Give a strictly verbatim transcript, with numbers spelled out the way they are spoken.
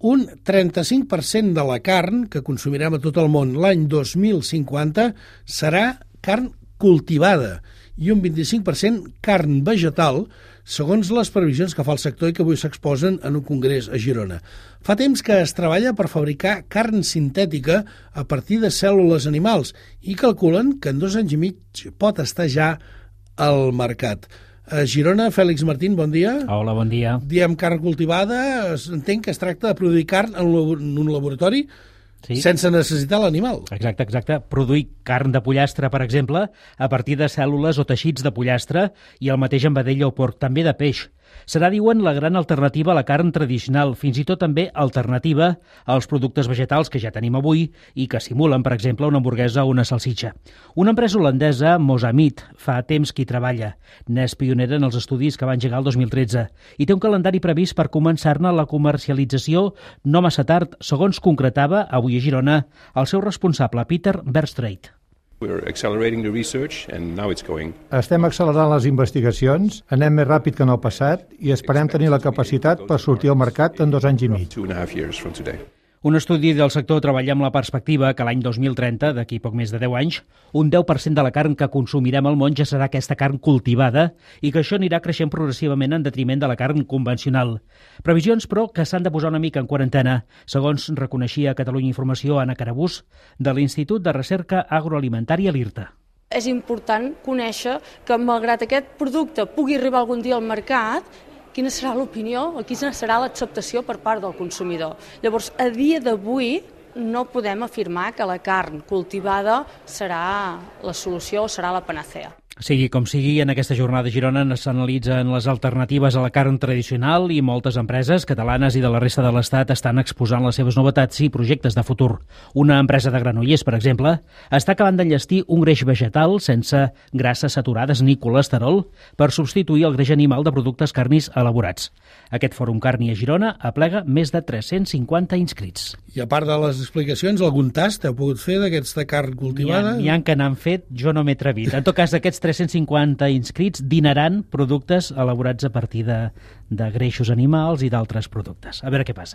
un trenta-cinc per cent de la carn que consumirem a tot el món l'any dos mil cinquanta serà carn cultivada i un vint-i-cinc per cent carn vegetal, segons les previsions que fa el sector i que avui s'exposen en un congrés a Girona. Fa temps que es treballa per fabricar carn sintètica a partir de cèl·lules animals i calculen que en dos anys i mig pot estar ja al mercat. A Girona, Fèlix Martín, bon dia. Hola, bon dia. Diem carn cultivada, entenc que es tracta de produir carn en un laboratori sí. sense necessitar l'animal. Exacte, exacte. Produir carn de pollastre, per exemple, a partir de cèl·lules o teixits de pollastre i el mateix amb vedella o porc, també de peix. Serà, diuen, la gran alternativa a la carn tradicional, fins i tot també alternativa als productes vegetals que ja tenim avui i que simulen, per exemple, una hamburguesa o una salsitxa. Una empresa holandesa, Mozamit, fa temps que hi treballa. N'és pionera en els estudis que va engegar el dos mil tretze i té un calendari previst per començar-ne la comercialització no massa tard, segons concretava avui a Girona el seu responsable, Peter Verstraete. Estem accelerant les investigacions, anem més ràpid que en el passat i esperem tenir la capacitat per sortir al mercat en dos anys i mig. Un estudi del sector treballa amb la perspectiva que l'any dos mil trenta, d'aquí poc més de deu anys, un deu per cent de la carn que consumirem al món ja serà aquesta carn cultivada i que això anirà creixent progressivament en detriment de la carn convencional. Previsions, però, que s'han de posar una mica en quarantena, segons reconeixia a Catalunya Informació Anna Carabús, de l'Institut de Recerca Agroalimentària l'IRTA. És important conèixer que, malgrat aquest producte pugui arribar algun dia al mercat, quina serà l'opinió o quina serà l'acceptació per part del consumidor. Llavors, a dia d'avui no podem afirmar que la carn cultivada serà la solució o serà la panacea. Sigui com sigui, en aquesta jornada a Girona s'analitzen les alternatives a la carn tradicional i moltes empreses catalanes i de la resta de l'Estat estan exposant les seves novetats i projectes de futur. Una empresa de Granollers, per exemple, està acabant d'enllestir un greix vegetal sense grasses saturades ni colesterol per substituir el greix animal de productes carnis elaborats. Aquest Fòrum Carni a Girona aplega més de tres-cents cinquanta inscrits. I a part de les explicacions, algun tast heu pogut fer d'aquesta carn cultivada? N'hi ha, ha que n'han fet, jo no m'he atrevit. En tot cas, d'aquests tres-cents cinquanta inscrits dinaran productes elaborats a partir de, de greixos animals i d'altres productes. A veure què passa.